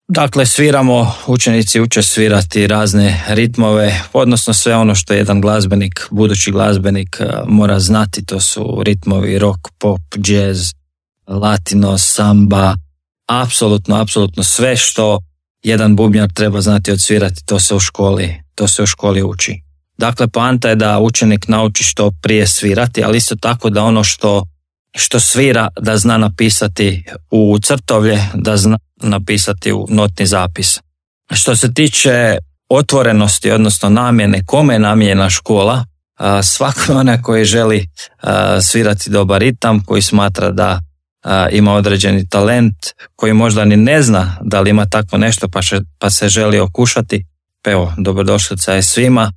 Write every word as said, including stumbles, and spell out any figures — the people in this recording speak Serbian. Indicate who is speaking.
Speaker 1: Dakle, sviramo, učenici uče svirati razne ritmove, odnosno sve ono što jedan glazbenik, budući glazbenik mora znati, to su ritmovi rock, pop, jazz, latino, samba, apsolutno, apsolutno sve što jedan bubnjar treba znati odsvirati, to se u školi, to se u školi uči. Dakle, poanta je da učenik nauči što prije svirati, ali isto tako da ono što, što svira da zna napisati u crtovlje, da zna napisati u notni zapis. Što se tiče otvorenosti, odnosno namjene, kome je namijenjena škola, svako onaj koji želi svirati dobar ritam, koji smatra da ima određeni talent, koji možda ni ne zna da li ima tako nešto pa, še, pa se želi okušati, evo, dobrodošlica je svima.